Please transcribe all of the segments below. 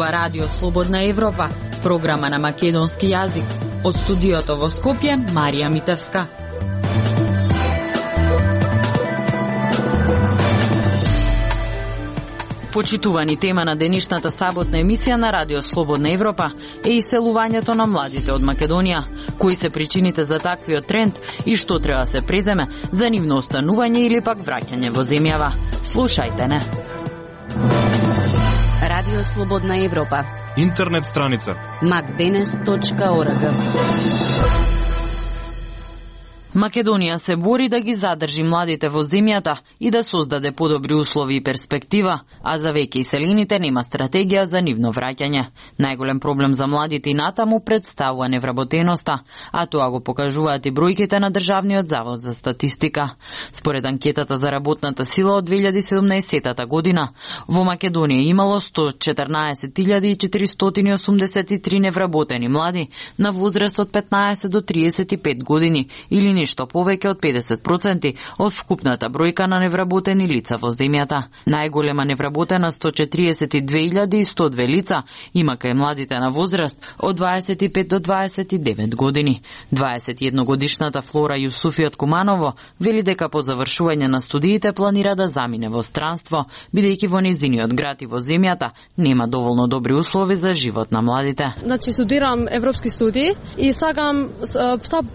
Ова радио Слободна Европа, програма на македонски јазик. Од студиото во Скопје, Марија Митевска. Почитувани тема на денешната саботна емисија на Радио Слободна Европа е иселувањето на младите од Македонија. Кои се причините за таквиот тренд и што треба да се преземе за нивно останување или пак враќање во земјава? Слушајте не. Радио Слободна Европа. Интернет страница macdenes.org. Македонија се бори да ги задржи младите во земјата и да создаде подобри услови и перспектива, а за веќе иселените нема стратегија за нивно враќање. Најголем проблем за младите и натаму представува невработеноста, а тоа го покажуваат и бројките на Државниот завод за статистика. Според анкетата за работната сила од 2017 година, во Македонија имало 114.483 невработени млади на возраст од 15 до 35 години или нешто повеќе од 50% од вкупната бројка на невработени лица во земјата. Најголема невработена 142.102 лица има кај младите на возраст од 25 до 29 години. 21 годишната Флора Јусуфи од Куманово вели дека по завршување на студиите планира да замине во странство, бидејќи во незиниот град и во земјата нема доволно добри услови за живот на младите. Значи студирам европски студии и сакам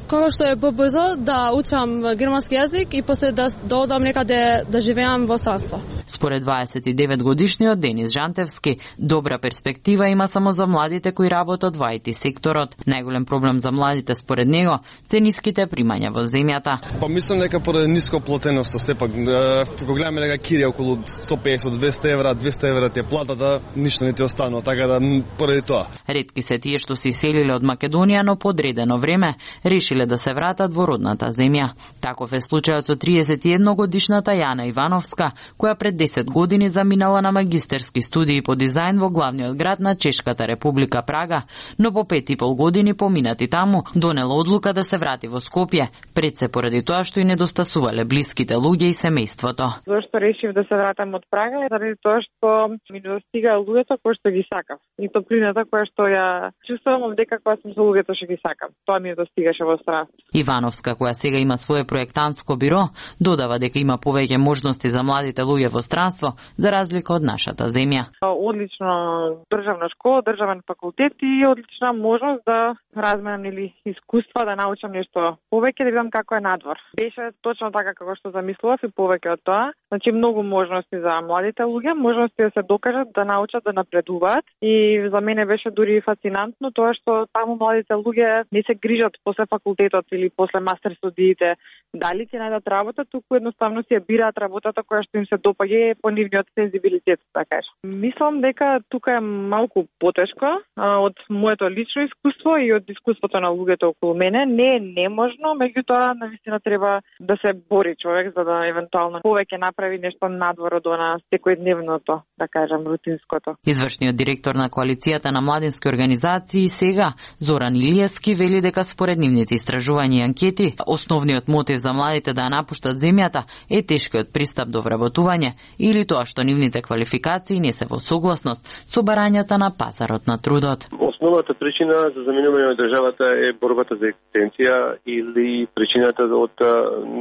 како што е побрзо да учам германски јазик и после да одам некаде да живеам во странство. Според 29 годишниот Денис Жантевски, добра перспектива има само за младите кои работат во IT секторот. Најголем проблем за младите според него се ниските примања во земјата. Па мислам дека поради ниско платеноста сепак кога гледаме дека кирија околу 150-200 евра, 200 евра ти е платата, ништо не ти останува, така да поради тоа. Ретки се тие што се иселиле од Македонија, но по одредено време решиле да се вратат во родната земја. Таков е случајот со 31 годишната Јана Ивановска, која пред 10 години заминала на магистерски студии по дизајн во главниот град на Чешката република Прага, но по 5,5 години поминати таму, донела одлука да се врати во Скопје, пред се поради тоа што и недостасувале блиските луѓе и семејството. Зошто решив да се вратам од Прага? Заради тоа што ми недостига луѓето кои што ги сакав. И топлината која што ја чувствувам дека кога сум со луѓето што ги сакам. Тоа ми недостигаше во странство. Ивановска, која сега има свое проектантско биро, додава дека има повеќе можности за младите луѓе во странство, за разлика од нашата земја. Одлично државна школа, државен факултет и одлична можност да разменам или искуства, да научам нешто повеќе, да видам како е надвор. Беше точно така како што замислував и повеќе од тоа. Значи многу можности за младите луѓе, можности да се докажат, да научат, да напредуваат и за мене беше дури фасцинантно тоа што таму младите луѓе не се грижат после факултетот или после мастер студиите дали ќе најдат работа, туку едноставно си ја бираат работата која што им се допаѓа по нивниот сензибилитет, така кажа. Мислам дека тука е малку потешко од моето лично искуство и од искуството на луѓето околу мене. Не е неможно, меѓутоа навистина треба да се бори човек за да евентуално повеќе направи нешто надвор од она секојдневното, да кажам, рутинското. Извршниот директор на коалицијата на младински организации сега, Зоран Илиевски, вели дека според нивните истражувања и анкети, основниот мотив за младите да ја напуштат земјата е тешкиот пристап до вработување или тоа што нивните квалификации не се во согласност со барањата на пазарот на трудот. Основната причина за заминување од државата е борбата за екзистенција или причината од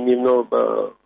нивно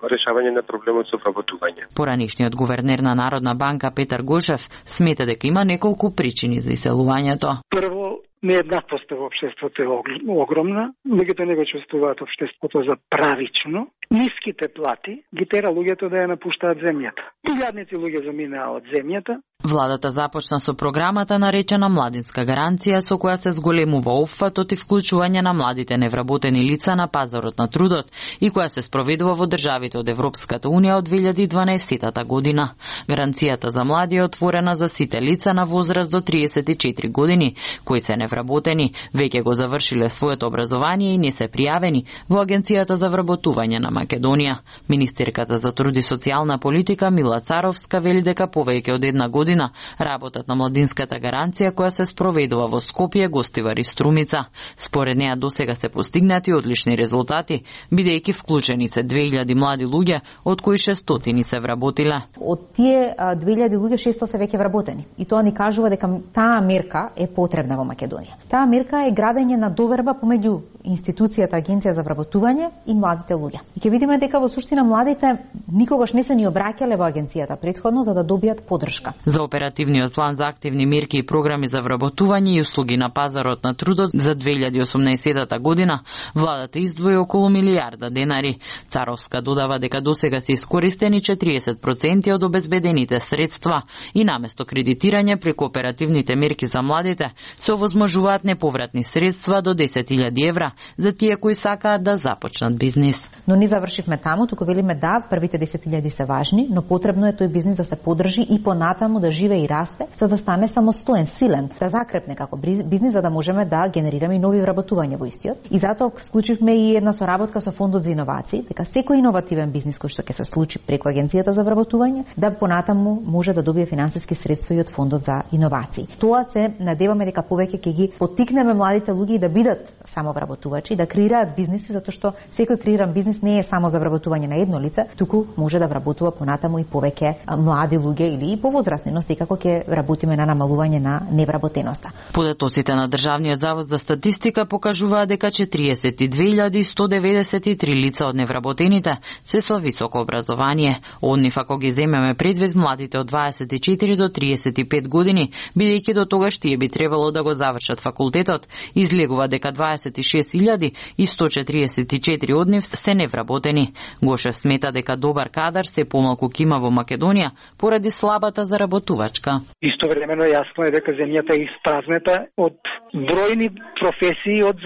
решавање на проблемот со вработување. Поранишниот гувернер на Народна банка Петар Гошев смета дека има неколку причини за иселувањето. Прво, нееднаквоста во општеството е огромна, луѓето не го чувствуваат општеството за правично. Ниските плати ги тера луѓето да ја напуштаат земјата. Илјадници луѓе заминаа од земјата. Владата започна со програмата наречена Младинска гаранција, со која се зголемува опфатот и вклучување на младите невработени лица на пазарот на трудот и која се спроведува во државите од Европската унија од 2012 година. Гаранцијата за млади е отворена за сите лица на возраст до 34 години, кои се невработени невработени веќе го завршиле своето образование и не се пријавени во Агенцијата за вработување на Македонија. Министерката за труд и социјална политика Мила Царовска вели дека повеќе од една година работат на младинската гаранција која се спроведува во Скопје, Гостивар и Струмица. Според неа досега се постигнати одлични резултати, бидејќи вклучени се 2000 млади луѓе, од кои 600 се вработиле. Од тие 2000 луѓе 600 се веќе вработени. И тоа ни кажува дека таа мерка е потребна во Македонија. Таа мерка е градење на доверба помеѓу институцијата Агенција за вработување и младите луѓе. И ќе видиме дека во суштина младите никогаш не се ни обраќале во агенцијата претходно за да добијат поддршка. За оперативниот план за активни мерки и програми за вработување и услуги на пазарот на трудот за 2018 година, владата издвои околу милијарда денари. Царовска додава дека досега се искористени 40% од обезбедените средства и наместо кредитирање преку оперативните мерки за младите се овозможуваат неповратни средства до 10.000 евра за тие кои сакаат да започнат бизнис. Но не завршивме таму, туку велиме да, првите 10.000 се важни, но потребно е тој бизнис да се поддржи и понатаму да живее и расте, за да стане самостоен, силен, да закрепне како бизнис, за да можеме да генерираме и нови вработувања во истиот. И затоа склучивме и една соработка со Фондот за иновации, дека секој иновативен бизнис кој што ќе се случи преку Агенцијата за вработување, да понатаму може да добие финансиски средства и од Фондот за иновации. Тоа се надеваме дека повеќе ќе ги поттикнеме младите луѓе да бидат самовработувачи, да креираат бизниси, затоа што секој креиран бизнис не е само за вработување на едно лице, туку може да вработува понатаму и повеќе млади луѓе или и повозрасни, но секако ќе работиме на намалување на невработеноста. Податоците на Државниот завод за статистика покажуваат дека 42.193 лица од невработените се со високо образование. Од нив, ако ги земеме предвид младите од 24 до 35 години, бидејќи до тогаш тие би требало да го завршат факултетот, излегува дека 26.144 од нив се невработени. Гошев смета дека добар кадар се помалку кима во Македонија поради слабата заработувачка. Истовремено јасно е дека земјата е испразнета од бројни професии од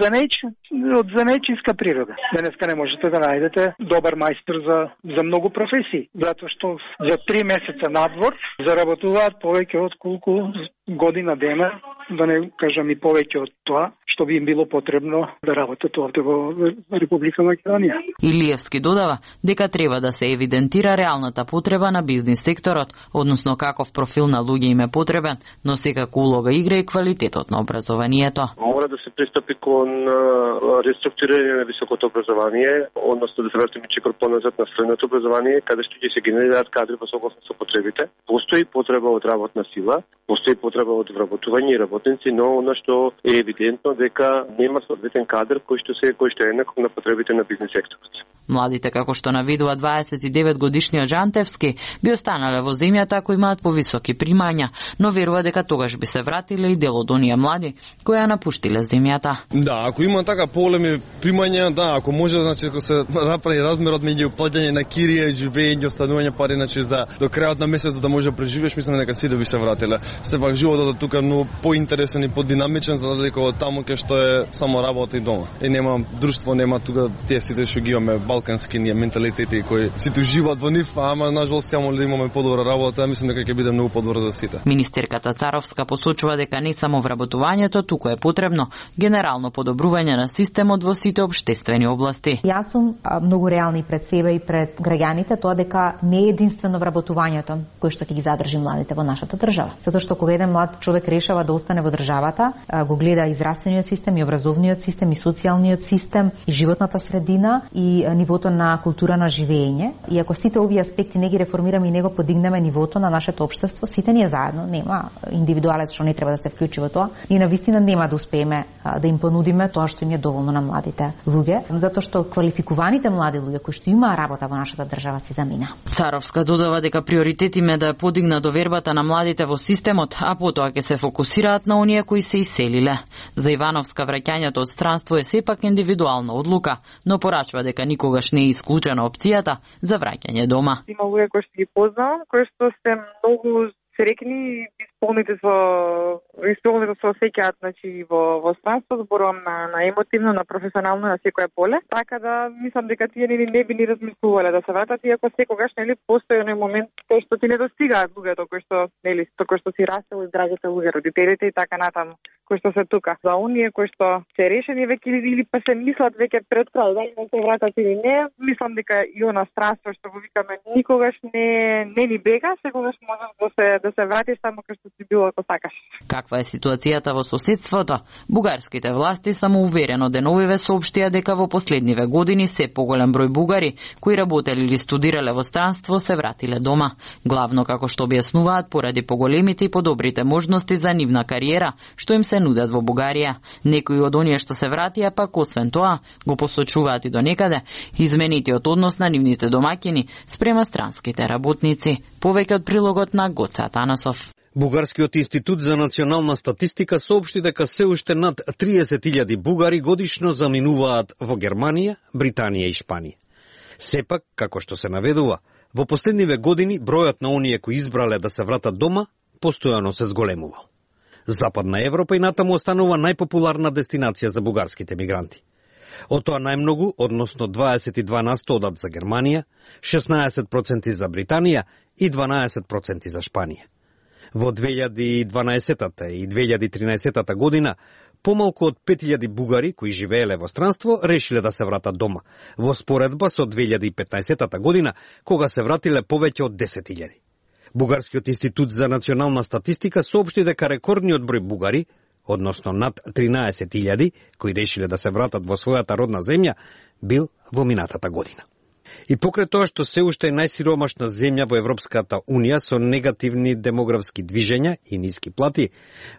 занечиска природа. Денеска не можете да најдете добар мајстор за многу професии, затоа што за 3 месеца надвор заработуваат повеќе од колку година дена, да не кажам и повеќе од тоа што би им било потребно да работат овде во Република Македонија. Илиевски додава дека треба да се евидентира реалната потреба на бизнис секторот, односно каков профил на луѓе им е потребен, но секако улога игра и квалитетот на образованието. Мора да се пристапи кон реструктурирање на високото образование, односно да се вратиме чекор поназад на средното образование, каде што ќе се генерираат кадри во согласно со потребите. Постои потреба од работна сила, постои потреба од вработување и работници, но она што е евидентно дека нема соодветен кадар кој што е еднаков на потребите на бизнис секторот. Младите, како што навидува 29 годишниот Жантевски, би останале во земјата ако имаат повисоки примања, но верува дека тогаш би се вратиле и дел од оние млади кои ја напуштиле земјата. Да, ако има така поголеми примања, да, ако може, значи ако се направи размерот меѓу плаќање на кирија и живење, останување пари, значи за до крајот на месец да може да преживееш, мислам дека сите би се вратиле. Сепак животот тука е многу поинтересен и подинамичен за разлика од таму кај што е само работа и дома. И нема друштво, нема тука тие сите што ги имаме балкански ние менталитети кои сите живеат во нив, ама нажалост само да имаме подобра работа, мислам дека ќе биде многу подобро за сите. Министерката Царовска посочува дека не само вработувањето, туку е потребно генерално подобрување на системот во сите општествени области. Јас сум многу реални пред себе и пред граѓаните, тоа дека не е единствено вработувањето кој што ќе ги задржи младите во нашата држава. Затоа што кога еден млад човек решава да остане во државата, го гледа и здравствениот систем, и образовниот систем, и социјалниот систем, и животната средина, и нивото на култура на живење. И ако сите овие аспекти не ги реформираме и не го подигнеме нивото на нашето општество, сите ние заедно, нема индивидуалец што не треба да се вклучи во тоа, и навистина нема да успееме да им понудиме тоа што им е доволно на младите луѓе, затоа што квалификуваните млади луѓе кои што имаа работа во нашата држава се замина. Царовска додава дека приоритет им е да подигна довербата на младите во системот, а потоа ќе се фокусираат на оние кои се иселиле. За Ивановска враќањето од странство е сепак индивидуална одлука, но порачува дека никогаш не е исклучена опцијата за враќање дома. Има луѓе кои што ги познавам, кои што се многу срекни и исполнети со осеќаат, значи во странство, зборувам на емотивно, на професионално, на секое поле. Така да мислам дека тие не би ни размислувале да се вратат, иако секогаш постои оној момент кај што ти не достигаат луѓето кои што си растел и драгите луѓе, родителите и така натаму, кои што се тука. За оние кои што се решени веќе или па се мислат веќе пред крај дали да се вратат или не, мислам дека и она странство што го викаме никогаш не ни бега, секогаш можеш да се вратиш само кај што си било ако сакаш. Каква е ситуацијата во соседството? Бугарските власти самоуверено деновиве соопштија дека во последниве години се поголем број бугари кои работеле или студирале во странство се вратиле дома. Главно како што објаснуваат поради поголемите и подобрите можности за нивна кариера што им се нудат во Бугарија. Некои од оние што се вратија пак освен тоа го посочуваат и до некаде изменитиот однос на нивните домаќини спрема странските работници. Повеќе од прилогот на Гоце Атанасов. Бугарскиот институт за национална статистика соопшти дека се уште над 30.000 бугари годишно заминуваат во Германија, Британија и Шпанија. Сепак, како што се наведува, во последниве години бројот на оние кои избрале да се вратат дома постојано се зголемувал. Западна Европа и натаму останува најпопуларна дестинација за бугарските мигранти. Од тоа најмногу, односно 22% одат за Германија, 16% за Британија и 12% за Шпанија. Во 2012 и 2013 година помалку од 5000 бугари кои живееле во странство решиле да се вратат дома, во споредба со 2015 година кога се вратиле повеќе од 10.000. Бугарскиот институт за национална статистика соопшти дека рекордниот број бугари, односно над 13.000 кои решиле да се вратат во својата родна земја, бил во минатата година. И покрај тоа што се уште е најсиромашна земја во Европската Унија со негативни демографски движења и ниски плати,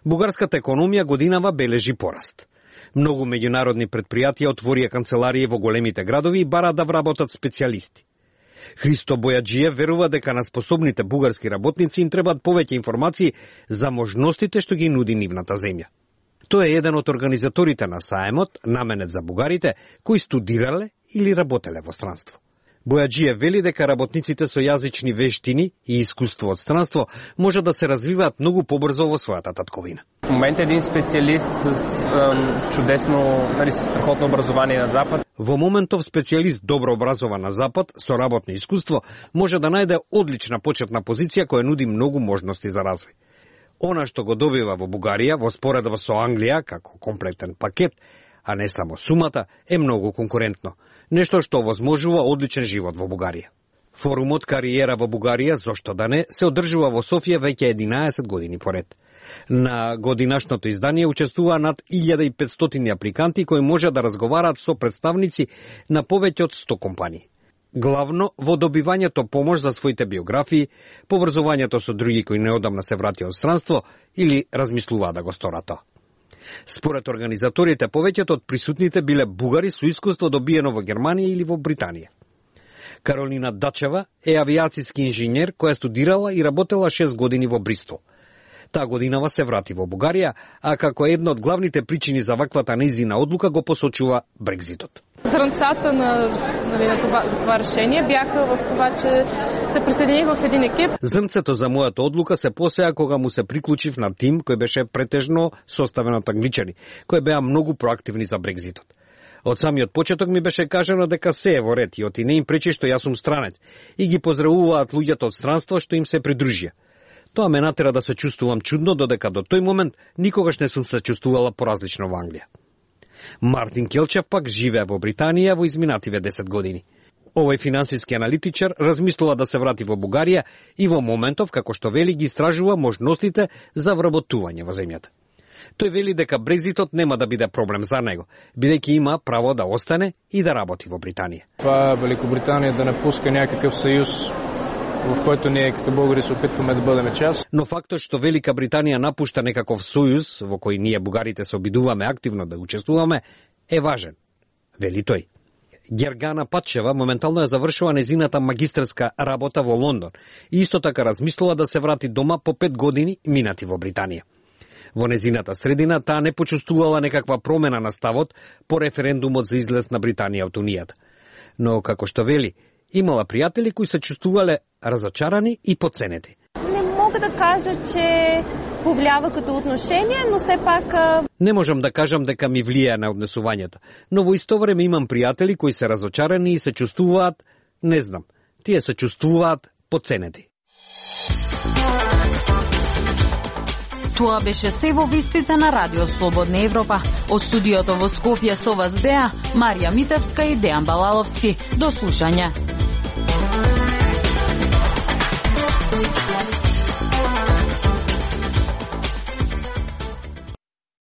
бугарската економија годинава бележи пораст. Многу меѓународни претпријатија отворија канцеларии во големите градови и бараат да вработат специјалисти. Христо Бојаджиев верува дека на способните бугарски работници им требаат повеќе информации за можностите што ги нуди нивната земја. Тој е еден од организаторите на саемот, наменет за бугарите, кои студирале или работеле во странство. Бојаджиев вели дека работниците со јазични вештини и искуство од странство може да се развиваат многу побрзо во својата татковина. В момент еден специјалист с чудесно, со страхотно образование на Запад. Во моментов специјалист добро образован на Запад со работно искуство може да најде одлична почетна позиција која нуди многу можности за развој. Она што го добива во Бугарија во споредба со Англија како комплетен пакет, а не само сумата, е многу конкурентно. Нешто што овозможува одличен живот во Бугарија. Форумот Кариера во Бугарија, зошто да не, се одржува во Софија веќе 11 години поред. На годинашното издание учествува над 1500 апликанти кои може да разговараат со представници на повеќе од 100 компании. Главно во добивањето помош за своите биографии, поврзувањето со други кои неодамна се вратија од странство или размислуваат да го сторат тоа. Според организаторите, повеќето од присутните биле бугари со искуство добиено во Германија или во Британија. Каролина Дачева е авиацијски инженер која студирала и работела 6 години во Бристол. Таа годинава се врати во Бугарија, а како една од главните причини за ваквата нејзина одлука го посочува Брекзитот. Зрнцата за това решение бяха в това, че се присъединих в един екип. Зрнцето за мојата одлука се посеа кога му се приклучив на тим кој беше претежно составен од англичани, кои беа многу проактивни за Брекзитот. Од самиот почеток ми беше кажано дека се е во ред и оти не им пречи што јас сум странец и ги поздравуваат луѓето од странство што им се придружија. Тоа ме натера да се чувствувам чудно, додека до тој момент никогаш не сум се чувствувала поразлично во Англија. Мартин Келчев пак живее во Британија во изминативе 10 години. Овој финансиски аналитичар размислува да се врати во Бугарија и во моментов, како што вели, ги истражува можностите за вработување во земјата. Тој вели дека Брекзитот нема да биде проблем за него, бидејќи има право да остане и да работи во Британија. Това Великобританија да напуска някакъв съюз, в којто ние като българи се опитваме да бъдеме част. Но фактот што Велика Британија напушта некаков сојуз во кој ние бугарите се обидуваме активно да учествуваме е важен, вели тој. Гергана Патчева моментално е завршила незината магистерска работа во Лондон и исто така размислува да се врати дома по 5 години минати во Британија. Во незината средина таа не почувствувала некаква промена на ставот по референдумот за излез на Британија од Унијата. Но како што вели, имала пријатели кои се чувствувале разочарани и подценети. Не мога да кажа, че повлиява като отношение, но все пак... Не можам да кажам дека ми влијае на однесувањето, но во исто време имам пријатели кои се разочарани и се чувствуваат, не знам, тие се чувствуваат поценети. Тоа беше се во вестите на Радио Слободна Европа. Од студиото во Скопје со вас беа Марија Митевска и Дејан Балаловски. До слушање.